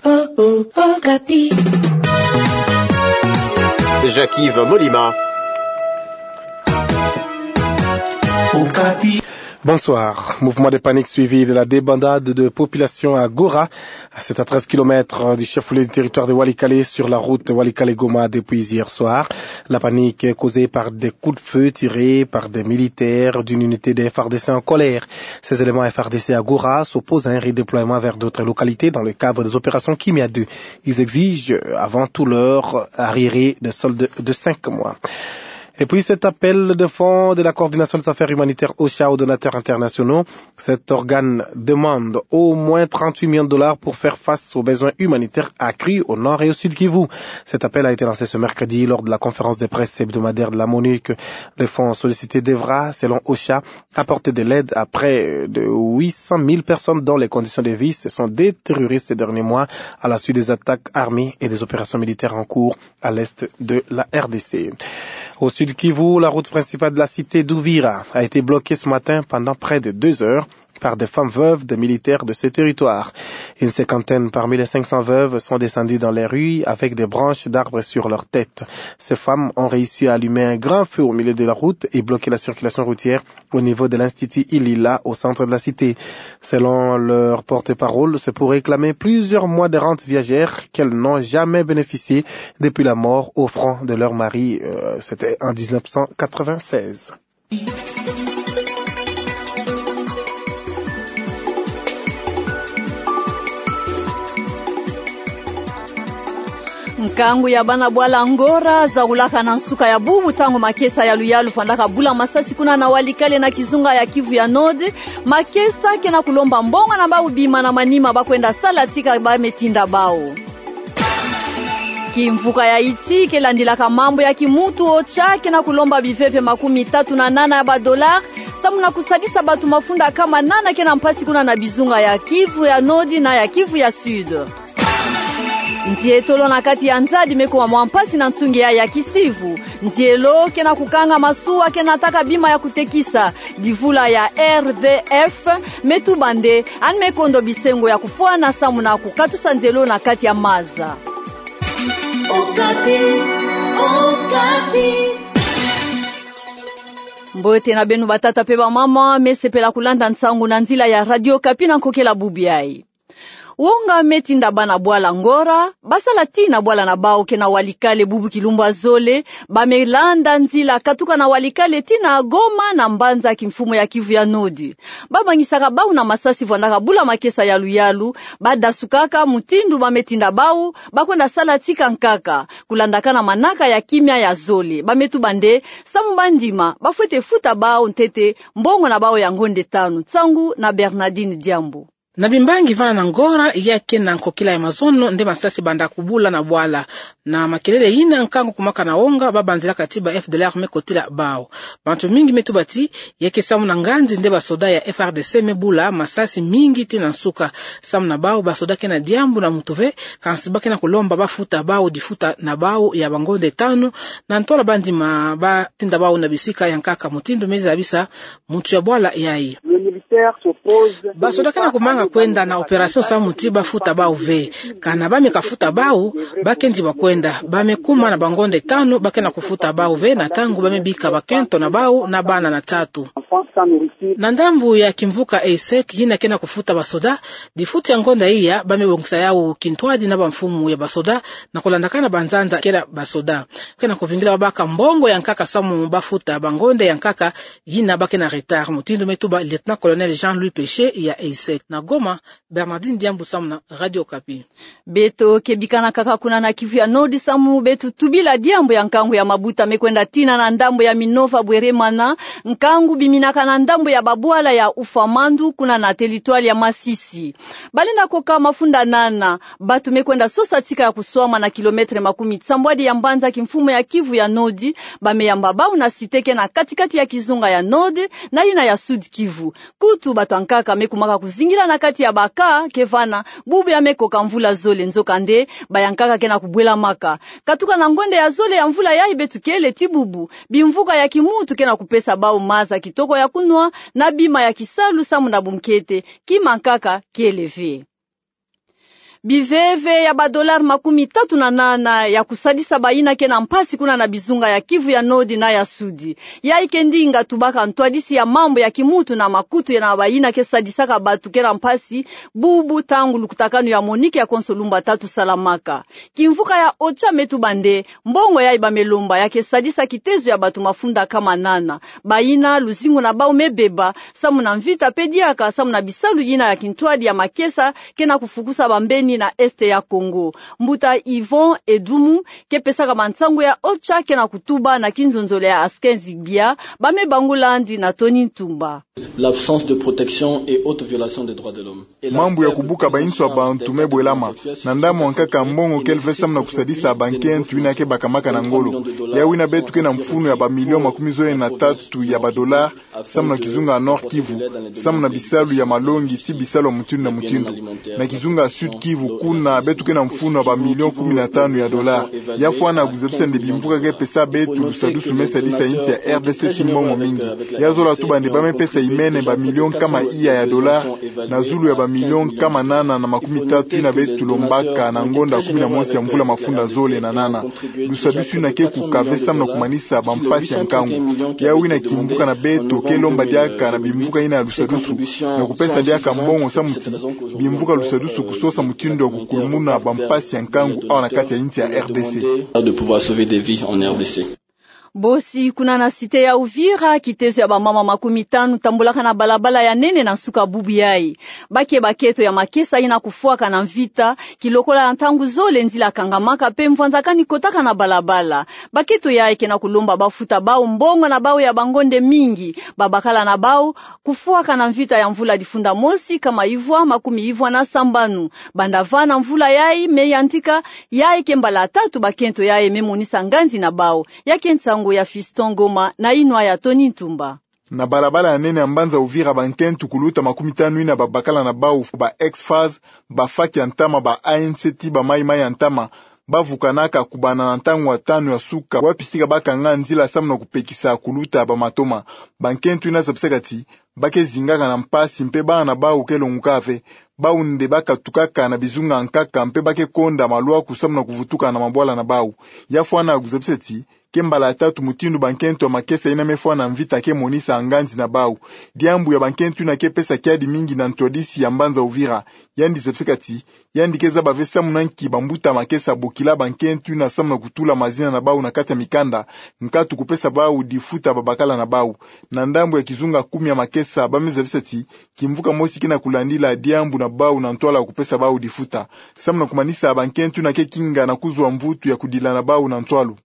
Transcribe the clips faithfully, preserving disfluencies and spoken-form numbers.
Oh, oh, Okapi. Jacques-Yves Molima. Okapi. Bonsoir. Mouvement de panique suivi de la débandade de population à Gora. C'est à treize kilomètres du chef-lieu du territoire de Walikale, sur la route Walikale-Goma depuis hier soir. La panique est causée par des coups de feu tirés par des militaires d'une unité de F A R D C en colère. Ces éléments F A R D C à Gora s'opposent à un redéploiement vers d'autres localités dans le cadre des opérations Kimia deux. Ils exigent avant tout leur arriéré de solde de cinq mois. Et puis cet appel de fonds de la coordination des affaires humanitaires OCHA aux donateurs internationaux. Cet organe demande au moins trente-huit millions de dollars pour faire face aux besoins humanitaires accrus au nord et au sud Kivu. Cet appel a été lancé ce mercredi lors de la conférence de presse hebdomadaire de la MONUC. Le fonds sollicité devra, selon OCHA, apporter de l'aide à près de huit cent mille personnes dont les conditions de vie se sont détériorées ces derniers mois à la suite des attaques armées et des opérations militaires en cours à l'est de la R D C. Au sud Kivu, la route principale de la cité d'Uvira a été bloquée ce matin pendant près de deux heures par des femmes veuves de militaires de ce territoire. Une cinquantaine parmi les cinq cents veuves sont descendues dans les rues avec des branches d'arbres sur leur tête. Ces femmes ont réussi à allumer un grand feu au milieu de la route et bloquer la circulation routière au niveau de l'Institut Ilila, au centre de la cité. Selon leur porte-parole, c'est pour réclamer plusieurs mois de rente viagère qu'elles n'ont jamais bénéficié depuis la mort au front de leur mari, euh, c'était en dix-neuf cent quatre-vingt-seize. Nkangu ya bana bwala Ngora zakulaka na nsuka ya bubu ntangu makesa ya luyalu fwandaka bula masasi kuna na Walikale na kizunga ya Kivu ya Nord. Makesa ke na kulomba mbongo na bawu bima na manima ba kwenda sala tika ba me tinda bawu. Kimvuka ya Haïti ke landilaka mambu ya kimuntu OCHA ke na kulomba biveve makumi tatu na nana ya ba dollars samu na kusadisa batu mafunda kama nana ke na mpasi kuna na bizunga ya Kivu ya Nord na ya Kivu ya Sud. Nzietolo na kati ya nzadi me kuma mwa mpasi na nsungi ya ya kisivu. Nzielo ke na kukanga masuwa ke nataka bima ya kutekisa. Divula ya R V F me tuba nde ani me kondo bisengo ya kufwana samu na kukatusa nzielo na kati ya maza. Okapi, Okapi. Mbote na beno batata pe bamama, me sepela kulanda nsangu na nzila ya Radio Okapi na nkokila bubu yayi. Wonga me tinda bana bwala Ngora, ba sala tii na bwala na bawu ke na Walikale bubu kilumbu ya zole, ba me landa nzila katuka na Walikale tii na Goma na mbanza kimfumu ya Kivu ya Nord. Ba bangisaka bawu na masasi vwandaka bula makesa ya luyalu, ba dasukaka mutindu ba me tinda bawu, ba kwenda sala tika nkaka, kulandakana manaka ya kimia ya zole, ba me tuba nde, samu ba ndima, ba fwete futa bawu ntete, mbongo na bawu ya ngonde tanu, nsangu na Bernardine Diambu. Na bimbangi vana na Ngora, ya ke na nkokila ya mazono, nde masasi banda kubula na bwala. Na makelele yina nkangu kumaka na wonga, ba banzilaka tii ba F D L R me kotila bawu. Bantu mingi me tuba ti, ya ke samu na nganzi nde basoda ya F R D C me bula masasi mingi tii na nsuka. Samu na bawu, basoda ke na diambu na mutu ve, kansi ba ke na kulomba ba futa bawu difuta na bawu ya bangonde tanu, na ntola ba ndima ba tinda bawu na bisika ya nkaka mutindu me zabisa muntu ya bwala yayi. Basoda ke na kumanga kwenda na opération samu ti ba futa bawu ve. Kana ba me kafuta bawu, ba kenzi ba kwenda. Ba me kuma na bangonde tanu, ba ke na kufuta bawu ve, na ntangu ba me bika bakento na bawu na bana na tatu. Na ndambu ya kimvuka Eisek, yina ke na kufuta basoda, difuta ya ngonda iya, ba me bongisa yawu kintwadi na bamfumu ya basoda, na kulandakana banzanza kela basoda. Ke na kuvingila babaka mbongo ya nkaka samu ba futa bangonde ya nkaka, yina ba ke na retard, mutindu me tuba Lieutenant-colonel Jean-Louis Péché ya Eisek. Na Goma, Bernardine Diambu samu na Radio Okapi. Beto ke bikana kaka kuna na Kivu ya Nord samu beto tubila diambu ya nkangu ya mabuta me kwenda tina na ndambu ya Minova Bweremana, nkangu biminaka na ndambu ya babwala ya Ufamandu kuna na territoire ya Masisi. Balenda koka mafunda nana, batu me kwenda sosa tika ya kuswama na kilomètre makumi tsambwadi ya mbanza kimfumu ya Kivu ya Nord, ba me yamba bawu na cité ke na kati-kati ya kizunga ya Nord, na yina ya Sud Kivu. Kutu batu ya nkaka me kumaka kuzingila na kati ya ba cas ke vana, bubu ya me koka mvula zole nzokande, ba ya nkaka ke na kubwelamaka. Katuka na ngonda ya zole ya mvula yayi beto kele ti bubu, bimvuka ya kimuntu ke na kupesa bawu maza kitoko ya kunwa, na bima ya kisalu samu na bunkete, kima nkaka kele ve. Biveve ya ba dollars makumi tatu na nana ya kusadisa bayina ke na mpasi kuna na bizunga ya Kivu ya Nord na ya Sud. Yayi ke ndinga tubaka ntwadisi ya mambu ya kimuntu na makutu ya na bayina ke sadisaka batu ke na mpasi, bubu ntangu lukutakanu ya MONUC ya konso lumbu tatu salamaka. Kimvuka ya OCHA me tuba nde, mbongo yayi ba me lomba ya ke sadisa kitezo ya batu mafunda nkama nana. Bayina luzingu na bau me beba, samu na mvita mpe diaka, samu na bisalu yina ya kintwadi ya makesa, ke na kufukusa bambeni na Est ya Congo. Mbuta Yvon Edoumou, ke pesaka mansangu ya OCHA, ke na kutuba na kinzonzolo ya Askenzi Gbia, ba me bangula yandi na Tony Ntumba. L'absence de protection et haute violation des droits de l'homme. Mambu ya kubuka bainso ya bantu me bwelama. Na ndambu wa nkaka mbongo kele ve samu na kusadisa bankento yina ke bakamaka na ngolo. Yawu yina beto ke na mfunu ya ba millions makumi zole na tatu ya ba dollars, samu na kizunga Nord Kivu, samu na bisalu ya malongi ti bisalu ya mutindu na mutindu. Na kizunga Sud Kivu kuna beto ke na mfunu ya ba millions kumi na tanu ya dollars. Ya fwana kuzabisa nde bimvuka ke pesa beto lusadusu me sadisa insi ya R D C ti mbongo mingi. Ya zola tuba nde ba me pesa imene ba millions nkama iya ya dollars, na zulu ya ba millions nkama nana na makumi tatu yina beto lombaka na ngonda kumi na mosi ya mvula mafunda zole na nana. Lusadusu yina ke kuka ve samu na kumanisa bampasi ya nkangu. Yawu yina kimvuka na beto ke lomba diaka na bimvuka yina ya lusadusu, na kupesa diaka mbongo samu ti bimvuka lusadusu kusosa mutindu ya kukulumuna bampasi ya nkangu awa na kati ya insi ya R D C. De pouvoir sauver des vies en R D C. Bosi kuna na cité ya Uvira, kitezo ya bamama makumi tanu tambulaka na balabala ya nene na nsuka bubu yayi. Ba ke bakento ya makesa yina kufwaka na mvita, kilokola na ntangu zole nzila kangamaka mpe mvwanzakani kotaka na balabala. Bakento yayi ke na kulomba ba futa bau mbongo na bau ya bangonde mingi. Babakala na bau kufwaka na mvita ya mvula difunda mosi nkama ivwa makumi ivwa na sambanu. Banda va na mvula yayi me yantika, yayi ke mbala tatu bakento yayi me monisa nganzi na bau. Ya ke nsangu ya Fiston Ngoma na inwa ya Tony Ntumba. Na balabala ya nene ya mbanza Uvira, bankento kuluta makumi tanu yina babakala na bau ba ex-FAST, ba FAC ya ntama, ba ANC ti ba Maï-Maï ya ntama, ba vukanaka kubanda na ntangu ya tanu ya suka, wapi sika ba kanga nzila samu na kupekisa kuluta ba matoma. Bankento yina zabisaka ti ba ke zingaka na mpasi mpe bana na bau ke longuka ve. Bau nde ba katukaka na bizunga nkaka mpe ba ke konda malwaku samu na kuvutuka na mabwala na bau. Ya fwana kuzabisa ti ke mbala ya tatu mutindu bankento ya makesa yina me fwa na mvita ke monisa nganzi na bau. Diambu ya bankento yina ke pesa kiadi mingi na ntwadisi ya mbanza Uvira. Yandi zabisaka ti yandi ke zaba ve samu na nki bambuta makesa bokila bankento yina samu na kutula mazina na bau na kati ya mikanda, nkatu kupesa bau difuta babakala na bau. Na ndambu ya kizunga kumi ya makesa, ba me zabisa ti kimvuka mosi ke na kulandila diambu na bau na ntwala kupesa bau difuta, samu na kumanisa bankento yina ke kinga na kuzwa mvutu ya kudila na bau na ntwalu.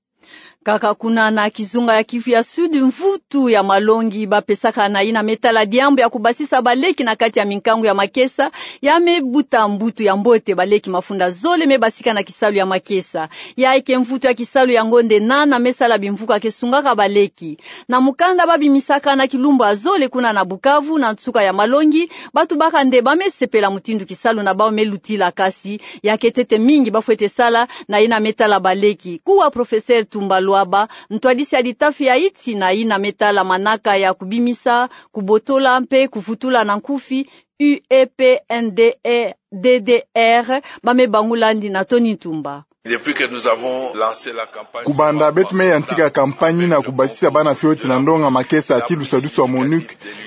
Kaka kuna na kizunga ya Kivu ya Sud, mvutu ya malongi ba pesaka na yina me tala diambu ya kubasisa baleki na kati ya minkangu ya makesa, ya me buta mbutu ya mbote. Baleki mafunda zole me basika na kisalu ya makesa. Yayi ke mvutu ya kisalu ya ngonde nana me sala bimvuka ke sungaka baleki. Na mukanda ba bimisaka na kilumbu ya zole kuna na Bukavu na nsuka ya malongi, ba tubaka nde ba me sepela mutindu kisalu na bau me lutila, kasi ya ke ntete mingi ba fwete sala na yina me tala baleki. Kuwa Professeur Tumba Luaba, ntwadisi ya litafi ya iti na yina me tala manaka ya kubimisa, kubotola mpe kuvutula na nkufi, U E P N D E D D R, ba me bangula yandi na Tony Ntumba. Depuis que nous avons lancé la campagne. Kubanda beto me yantika campagne na kubasisa bana fioti na ndonga makesa ti lusadusu wa MONUC,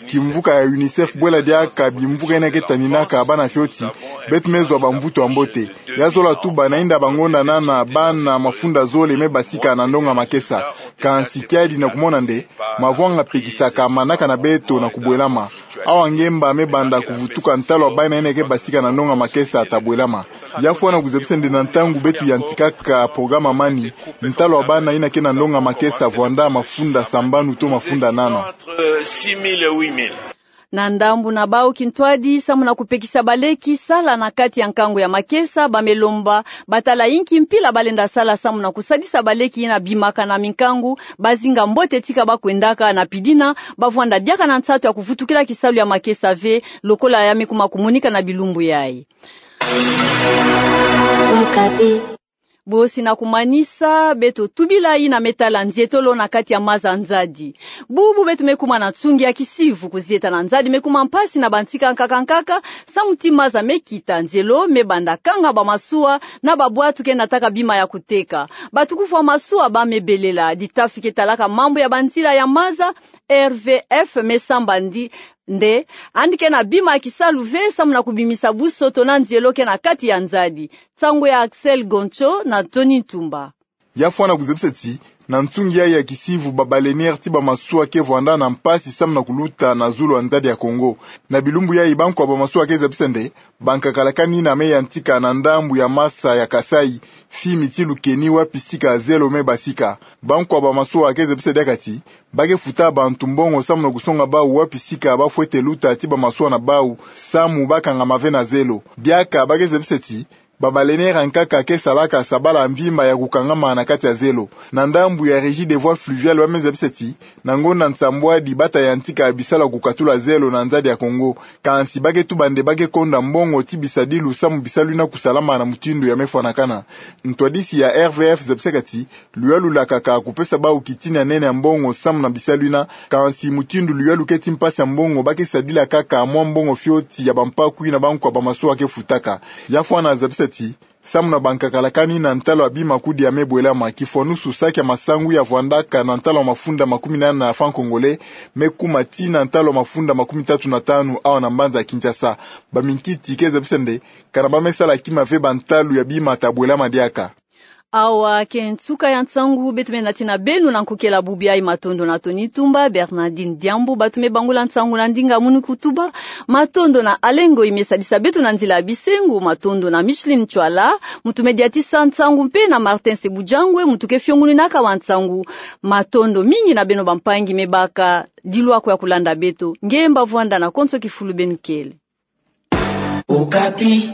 kimvuka ya UNICEF bwela diaka bimvuka yina ke taninaka bana fioti, beto me zwa bamvutu ya mbote. Ya zola tuba na inda bangonda nana bana mafunda zole me basika na ndonga makesa. Kansi kiadi na kumona nde mavwanga pekisaka manaka na beto na kubwelama. Awa ngemba me banda kuvutuka, ntalu wa bana yina ke basika na ndonga makesa ta bwelama. Ya fwana kuzabisa nde na ntangu beto yantikaka programa mani, ntalu wa bana yina ke na ndonga makesa vwanda mafunda sambanu to mafunda nana. Entre six mille et huit mille. Na ndambu na bau kintwadi samu na kupekisa baleki sala na kati ya nkangu ya makesa, ba me lomba ba tala inki mpila ba lenda sala samu na kusadisa baleki yina bimaka na minkangu, ba zinga mbote tika ba kwendaka, na pidina ba vwanda diaka na nsatu ya kuvutukila kisalu ya makesa ve, lokola ya me kuma kumonika na bilumbu yayi. Bosi na kumanisa, beto tubila yina me tala nzietolo na kati ya maza nzadi. Bubu beto me kuma na nsungi ya kisivu. Kuzieta na nzadi me kuma mpasi na bantika nkaka nkaka, samu ti maza me kita, nzelo me banda kanga bamasuwa na babwatu ke nataka bima ya kuteka. Batukufwa masuwa ba me belela. Ditafi ke talaka mambu ya banzila ya maza, R V F, me sambandi nde, yandi ke na bima ya kisalu ve samu na kubimisa busoto na nzielo ke na kati ya nzadi. Nsangu ya Axel Goncho na Tony Ntumba. Ya fwana kuzebisa ti, na nsungi yayi ya kisivu, ba baleinière ti bamasuwa ke vwanda na mpasi samu na kuluta na zulu ya nzadi ya Kongo. Na bilumbu yayi, bankwa bamasuwa ke zebisa nde, bankakala kani na me yantika na ndambu ya masa ya Kasaï, fimi ti Lukeni, wapi sika zelo me basika. Bankwa bamasuwa ke zebisa diaka ti, ba ke futa bantu mbongo samu na kusonga bau wapi sika ba fwete luta ti bamasuwa na bau, samu ba kangama ve na zelo. Diaka ba ke zebisa ti, ba baleinière nkaka ke salaka sabala mvimba ya kukangama na kati ya zelo. Na ndambu ya Régie des voies fluviales, ba me zebisa ti, na ngonda nsambwadi ba ta yantika bisalu ya kukatula zelo na nzadi ya Kongo. Kansi ba ke tuba nde ba ke konda mbongo ti bisadilu samu bisalu yina kusalama na mutindu ya me fwanakana. Ntwadisi ya R V F zebisaka ti, luyalu lakaka kupesa bau kitini ya nene ya mbongo samu na bisalu yina, kansi mutindu luyalu ke ti mpasi ya mbongo, ba ke sadila kaka mwa mbongo fioti ya bampaku yina bankwa bamasuwa ke futaka. Ya fwana zabisa ti, samu na bankakala kani na ntalo ya bima kudi ya me bwelama, kifwanusu saki ya masangu ya vwandaka na ntalo ya mafunda makumi nana ya francs congolais, me kuma ti na ntalo ya mafunda makumi tatu na tanu awa na mbanza ya Kinshasa. Baminkiti ke zabisa nde, kana ba me sala kima ve bantalu ya bima ta bwelama diaka. Awa ke nsuka ya nsangu beto me nati na beno na nkokela bubu yayi. Matondo na Tony Tumba, Bernardine Diambu, bato me bangula nsangu na ndinga munu kutuba. Matondo na Alengo, i me sadisa beto na nzila ya bisengo. Matondo na Micheline Chwala, muntu me diatisa nsangu, mpe na Martin Sebujangwe, muntu ke fionguninaka wa nsangu. Matondo mingi na beno bampangi me baka dilwako ya kulanda beto. Ngemba vwanda na konso kifulu beno kele. Okapi.